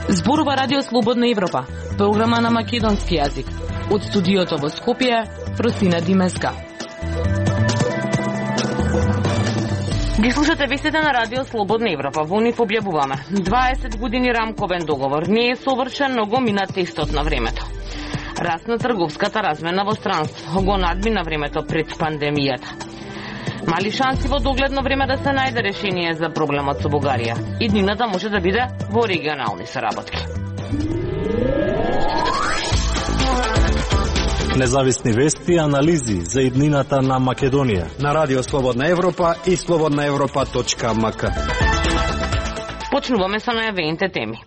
Зборува Радио Слободна Европа, програма на македонски јазик. Од студиото во Скопје, Просина Димеска. Ги слушате вестите на Радио Слободна Европа. Во нив објавуваме 20 години рамковен договор. Не е совршен, но го мина тестот на времето. Раст на трговската размена во странство го надмина времето пред пандемијата. Мали шанси во догледно време да се најде решение за проблемот со Бугарија. Иднината може да биде во регионални соработки. Независни вести и анализи за иднината на Македонија на Радио Слободна Европа и slobodnaevropa.mk. Почнуваме со најавените теми.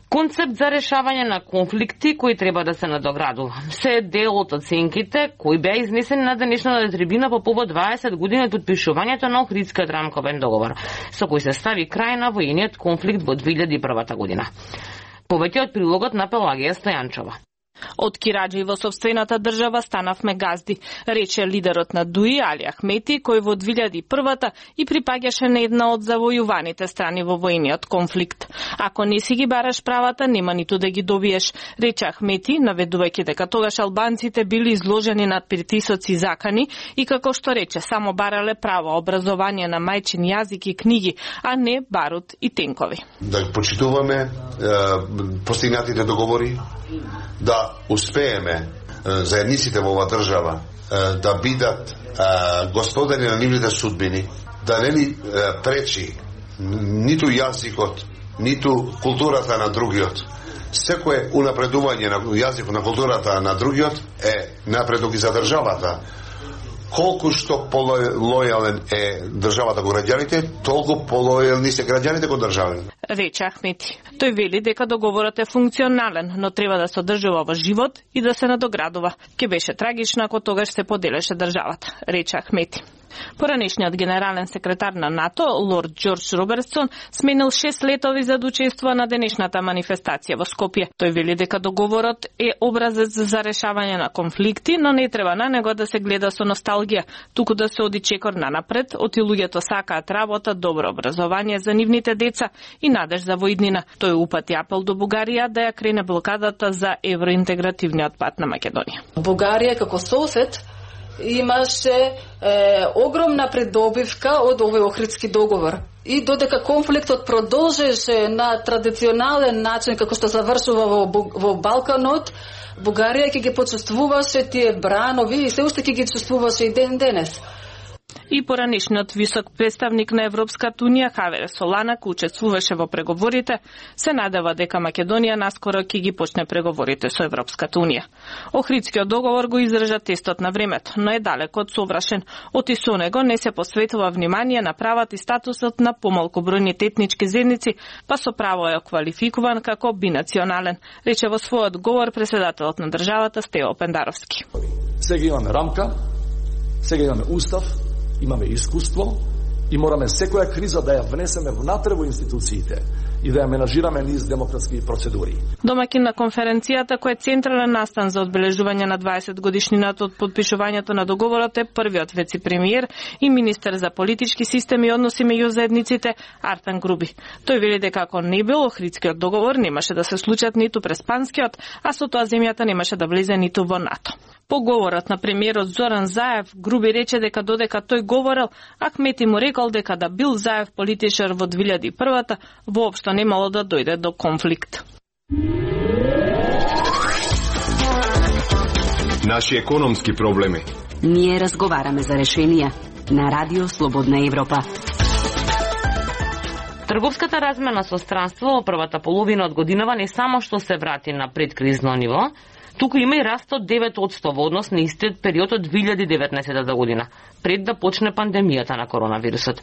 Концепт за решавање на конфликти кои треба да се надоградува. Се е дел од оценките кои беа изнесени на денешната трибина по повод 20 години од подпишувањето на Охридскиот рамковен договор, со кој се стави крај на воениот конфликт во 2001 година. Повеќе од прилогот на Пелагија Стојанчова. Од кираџи во сопствената држава станавме газди, рече лидерот на ДУИ Али Ахмети, кој во 2001-та и припаѓаше на една од завојуваните страни во воениот конфликт. Ако не си ги бараш правата, нема ниту да ги добиеш, рече Ахмети, наведувајќи дека тогаш албанците били изложени на притисоци и закани и како што рече, само барале право, образование на мајчин јазик и книги, а не барут и тенкови. Да почитуваме постигнатите договори, да успееме заедниците во оваа држава да бидат господари на нивните судбини, да не ни пречи ниту јазикот, ниту културата на другиот. Секое унапредување на јазикот, на културата на другиот е напредок и за државата. Колку што полојален е државата кон граѓаните, толку полојални се граѓаните кон државата. Рече Ахмети. Тој вели дека договорот е функционален, но треба да се одржува во живот и да се надоградува. Ке беше трагично ако тогаш се поделеше државата, рече Ахмети. Поранешниот генерален секретар на НАТО, лорд Џорџ Робертсон, сменил 6 летови за да учествува на денешната манифестација во Скопје. Тој вели дека договорот е образец за решавање на конфликти, но не треба на него да се гледа со носталгија, туку да се оди чекор нанапред, оти луѓето сакаат работа, добро образование за нивните деца и надеж за воиднина. Тој упати апел до Бугарија да ја крене блокадата за евроинтегративниот пат на Македонија. Бугарија како сосед имаше огромна придобивка од овој Охридски договор. И додека конфликтот продолжеше на традиционален начин како што завршува во Балканот, Бугарија ќе ги почувствуваше тие бранови и се уште ќе ги чувствуваше и денес. И поранешниот висок представник на Европската Унија Хавер Солана, кој учествуваше во преговорите, се надева дека Македонија наскоро ќе ги почне преговорите со Европската Унија. Охридскиот договор го издржа тестот на времето, но е далеко од совршен. Оти со него не се посветува внимание на правата и статусот на помалку бројните етнички заедници, па со право е квалификуван како бинационален, рече во својот говор председателот на државата Стево Пендаровски. Сега имаме рамка, сега имаме устав, имаме искуство и мораме секоја криза да ја внесеме внатре во институциите и да ја менажираме низ демократски процедури. Домаќин на конференцијата, кој е централен настан за одбележување на 20 годишнината од подпишувањето на договорот, е првиот вице-премиер и министер за политички системи и односи меѓу заедниците Артан Груби. Тој вели дека ако не бил Охридскиот договор, немаше да се случат ниту Преспанскиот, а со тоа земјата немаше да влезе ниту во НАТО. По говорот на премиерот Зоран Заев, Груби рече дека додека тој говорел, Ахмети му рекол дека да бил Заев политичар во 2001-та, воопшто немало да дојде до конфликт. Наши економски проблеми. Ние разговараме за решенија на Радио Слободна Европа. Трговската размена со странство во првата половина од годинава не само што се врати на предкризно ниво, туку има и раст од 9% во однос на истиот период од 2019 година, пред да почне пандемијата на коронавирусот.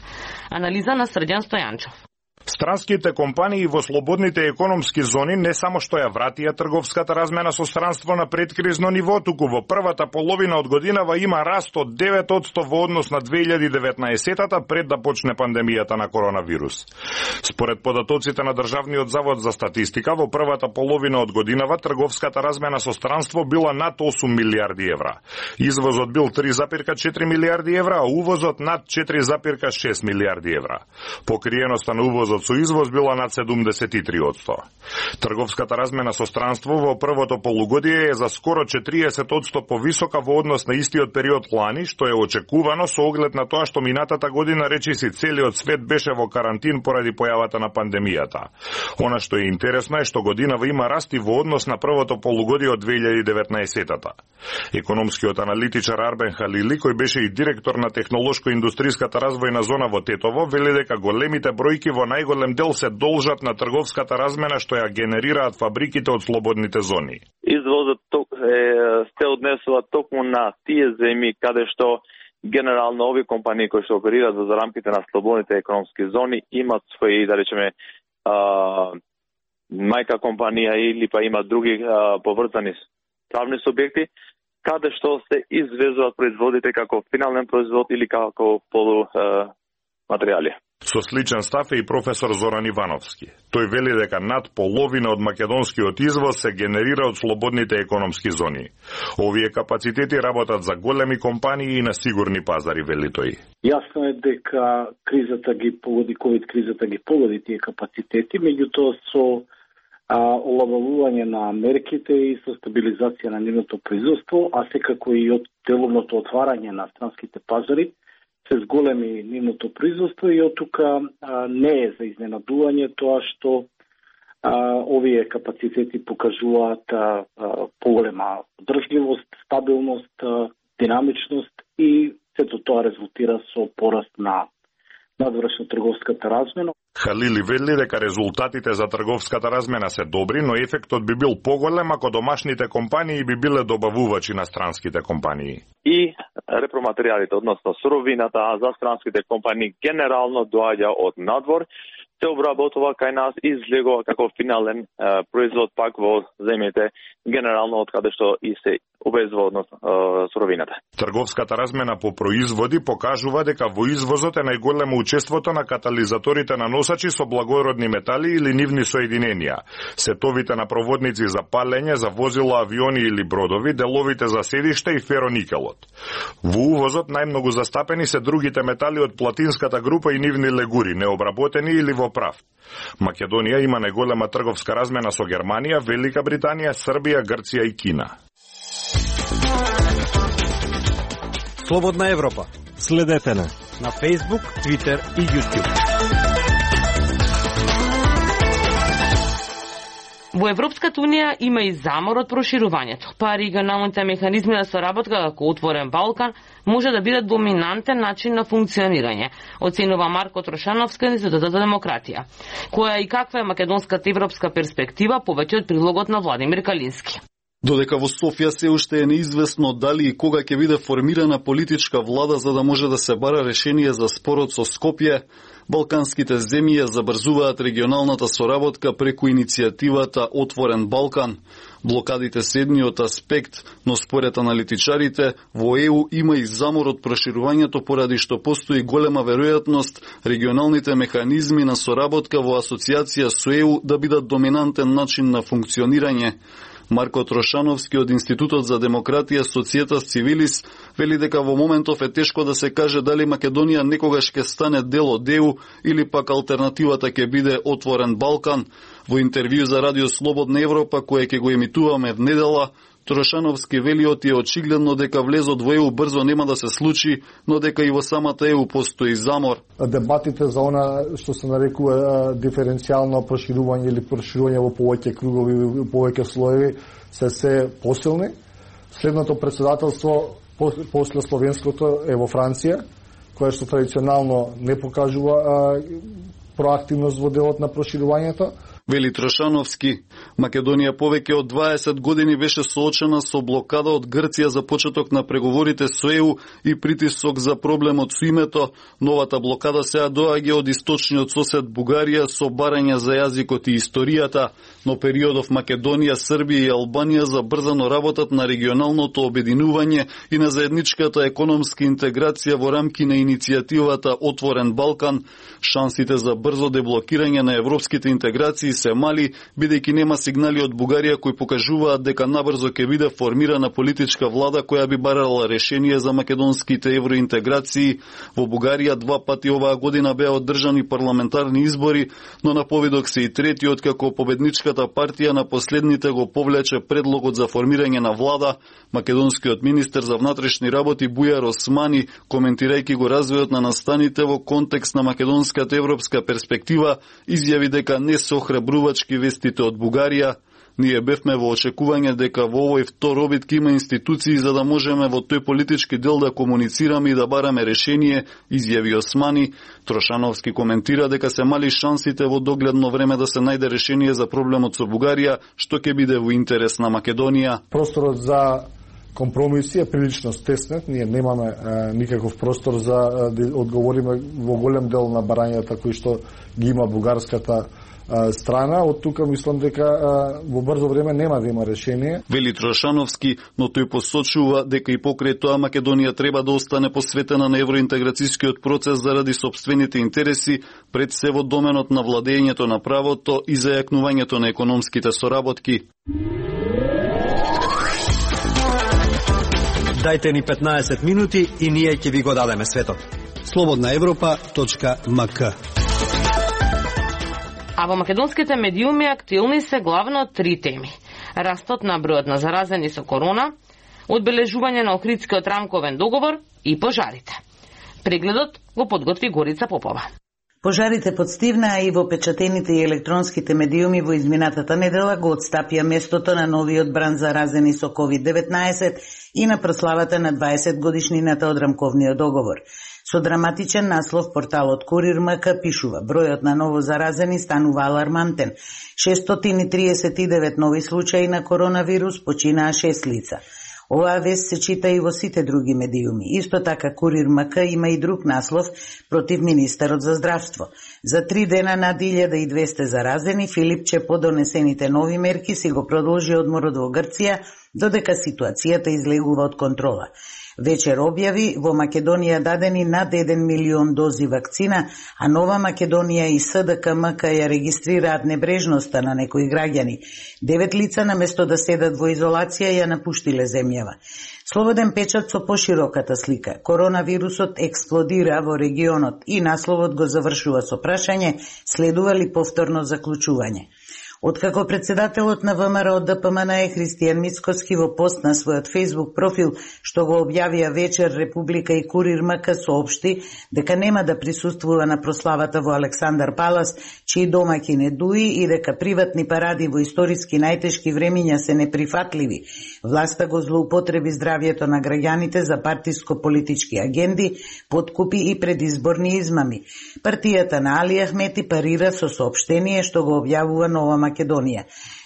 Анализа на Срđan Стојанчов. Странските компании во слободните економски зони не само што ја вратија трговската размена со странство на предкризно ниво, туку во првата половина од годинава има раст од 9% во однос на 2019-та пред да почне пандемијата на коронавирус. Според податоците на Државниот завод за статистика, во првата половина од годинава трговската размена со странство била над 8 милиарди евра. Извозот бил 3,4 милиарди евра, а увозот над 4,6 милиарди евра. Покриеноста на увозот со извоз била над 73%. Трговската размена со странство во првото полугодие е за скоро 40% повисока во однос на истиот период лани, што е очекувано со оглед на тоа што минатата година речиси целиот свет беше во карантин поради појавата на пандемијата. Она што е интересно е што годинава има расти во однос на првото полугодие од 2019-та. Економскиот аналитичар Арбен Халили, кој беше и директор на технолошко-индустријската развојна зона во Тетово, вели дека големите бројки во најголем дел се должат на трговската размена што ја генерираат фабриките од слободните зони. Извозот се однесува токму на тие земји каде што генерално овие компании кои што оперираат во рамките на слободните економски зони имаат своји, да речеме, мајка компанија или па имаат други поврзани правни субјекти, каде што се извезуваат производите како финален производ или како полуматеријали. Со сличен став е и професор Зоран Ивановски. Тој вели дека над половина од македонскиот извоз се генерира од слободните економски зони. Овие капацитети работат за големи компании и на сигурни пазари, вели тој. Јасно е дека кризата ги погоди, ковид кризата ги погоди тие капацитети, меѓутоа со олабавување на мерките и со стабилизација на нивното производство, а секако и од деловното отварање на странските пазари, се зголеми нивното производство и од тука не е за изненадување тоа што овие капацитети покажуваат поголема одржливост, стабилност, динамичност и сето тоа резултира со пораст на надвршна трговската размена. Халили вели дека резултатите за трговската размена се добри, но ефектот би бил поголем ако домашните компании би биле добавувачи на странските компании. И репроматеријалите, односно суровината за странските компании генерално доаѓа од надвор, се обработува кај нас и излегува како финален производ пак во земјите генерално од каде што и се обезва односно суровината. Трговската размена по производи покажува дека во извозот е најголемо учеството на катализаторите на носачи со благородни метали или нивни соединенија, сетовите на проводници за палење за возила, авиони или бродови, деловите за седишта и фероникелот. Во увозот најмногу застапени се другите метали од платинската група и нивни легури, необработени или во прав. Македонија има најголема трговска размена со Германија, Велика Британија, Србија, Грција и Кина. Слободна Европа. Следете на Facebook, Twitter и YouTube. Во Европската Унија има и замор од проширувањето, па регионалните механизми на соработка како Отворен Балкан може да бидат доминантен начин на функционирање, оценува Марко Трошановски од Институтот за демократија. Која и каква е македонската европска перспектива, повеќе од прилогот на Владимир Калински. Додека во Софија се уште е неизвестно дали и кога ќе биде формирана политичка влада за да може да се бара решение за спорот со Скопје, балканските земји ја забрзуваат регионалната соработка преку иницијативата Отворен Балкан. Блокадите се едниот аспект, но според аналитичарите, во ЕУ има и замор од проширувањето поради што постои голема веројатност регионалните механизми на соработка во асоциација со ЕУ да бидат доминантен начин на функционирање. Марко Трошановски од Институтот за демократија Societas Civilis вели дека во моментов е тешко да се каже дали Македонија некогаш ќе стане дел од ЕУ или пак алтернативата ќе биде Отворен Балкан. Во интервју за Радио Слободна Европа, кое ќе го емитуваме внедела, Трошановски вели е очигледно дека влезот во ЕУ брзо нема да се случи, но дека и во самата ЕУ постои замор. Дебатите за она што се нарекува диференцијално проширување или проширување во повеќе кругови, во повеќе слоеви се посилни. Следното председателство после словенското е во Франција, кое што традиционално не покажува проактивност во делот на проширувањето. Вели Трошановски, Македонија повеќе од 20 години беше соочена со блокада од Грција за почеток на преговорите со ЕУ и притисок за проблемот со името. Новата блокада сега доаѓа од источниот сосед Бугарија со барања за јазикот и историјата, но периодов Македонија, Србија и Албанија забрзано работат на регионалното обединување и на заедничката економска интеграција во рамки на иницијативата Отворен Балкан. Шансите за брзо деблокирање на европските интеграции се мали, бидејќи нема сигнали од Бугарија кои покажуваат дека набрзо ќе биде формирана политичка влада која би барала решение за македонските евроинтеграции. Во Бугарија 2 пати оваа година беа одржани парламентарни избори, но на повидок се и третиот како победничката партија на последните го повлече предлогот за формирање на влада. Македонскиот министер за внатрешни работи Бујар Османи, коментирајќи го развојот на настаните во контекст на македонската европска перспектива, изјави дека не се охрабрувачки вестите од Бугарија. Ние бевме во очекување дека во овој втор обид ќе има институции за да можеме во тој политички дел да комуницираме и да бараме решение, изјави Османи. Трошановски коментира дека се мали шансите во догледно време да се најде решение за проблемот со Бугарија, што ќе биде во интерес на Македонија. Просторот за компромиси е прилично стеснет, ние немаме никаков простор за да одговориме во голем дел на барањата кои што ги има бугарската страна. Од тука мислам дека во брзо време нема да има решение. Вели Трошановски, но тој посочува дека и покрај тоа Македонија треба да остане посветена на евроинтеграцијскиот процес заради сопствените интереси, пред се во доменот на владењето на правото и зајакнувањето на економските соработки. Дајте ни 15 минути и ние ќе ви го дадеме светот. slobodnaevropa.mk. А во македонските медиуми актуелни се главно 3 теми. Растот на бројот на заразени со корона, одбележување на Охридскиот рамковен договор и пожарите. Прегледот го подготви Горица Попова. Пожарите подстивнаа и во печатените и електронските медиуми во изминатата недела го отстапија местото на новиот бранд заразени со COVID-19 и на прославата на 20 годишнината од рамковниот договор. Со драматичен наслов порталот Курир МК пишува: бројот на ново заразени станува алармантен. 639 нови случаи на коронавирус, починаа 6 лица. Оваа вест се чита и во сите други медиуми. Исто така Курир МК има и друг наслов против министерот за здравство. За 3 дена над 1200 заразени, Филипче по донесените нови мерки си го продолжи одморот во Грција, додека ситуацијата излегува од контрола. Вечер објави во Македонија дадени над 1 милион дози вакцина, а Нова Македонија и СДКМК ја регистрираат небрежноста на некои граѓани. 9 лица наместо да седат во изолација ја напуштиле земјава. Слободен печат со пошироката слика. Коронавирусот експлодира во регионот и насловот го завршува со прашање: следува ли повторно заклучување? Откако председателот на ВМРО ДПМН Христијан Мицкоски во пост на својот Facebook профил, што го објавија вечер, Република и Курир МК соопшти дека нема да присуствува на прославата во Александар Палас, чии домаќин е Дуи, и дека приватни паради во историски најтешки времиња се неприфатливи. Власта го злоупотреби здравјето на граѓаните за партиско-политички агенди, подкупи и предизборни измами. Партијата на Али Ахмети парира со соопштение што го објавува Нова Македонија.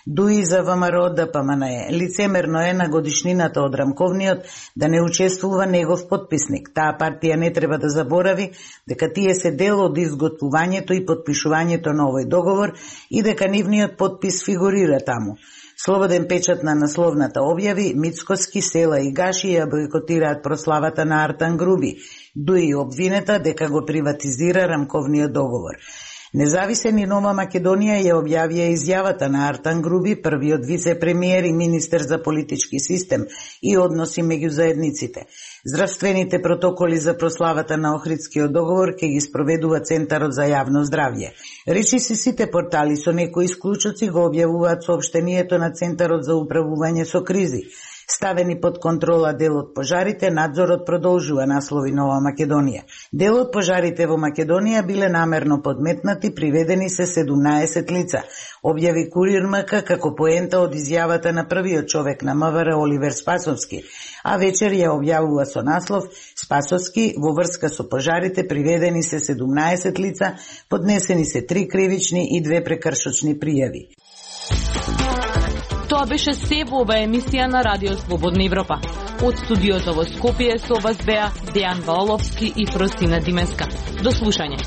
Дуи за ВМРО ДПМН лицемерно е на годишнината од рамковниот да не учествува негов подписник. Таа партија не треба да заборави дека тие се дел од изготвувањето и подпишувањето на овој договор и дека нивниот подпис фигурира таму. Слободен печат на насловната објави: Мицкоски, Села и Гаши ја бойкотираат прославата на Артан Груби. Дуи обвинета дека го приватизира рамковниот договор. Независен и Нова Македонија ја објавија изјавата на Артан Груби, првиот вице-премиер и министер за политички систем и односи меѓу заедниците. Здравствените протоколи за прославата на Охридскиот договор ќе ги спроведува Центарот за јавно здравје. Речиси сите портали со некои исклучоци го објавуваат соопштението на Центарот за управување со кризи. Ставени под контрола дел од пожарите, надзорот продолжува, наслови Нова Македонија. Дел од пожарите во Македонија биле намерно подметнати, приведени се 17 лица, објави Курир МК како поента од изјавата на првиот човек на МВР Оливер Спасовски, а вечер ја објавува со наслов Спасовски во врска со пожарите приведени се 17 лица, поднесени се 3 кривични и 2 прекршочни пријави. Тоа беше се во ова емисија на Радио Слободна Европа. Од студиото во Скопје со вас беа Дејан Валовски и Фросина Димеска. До слушање.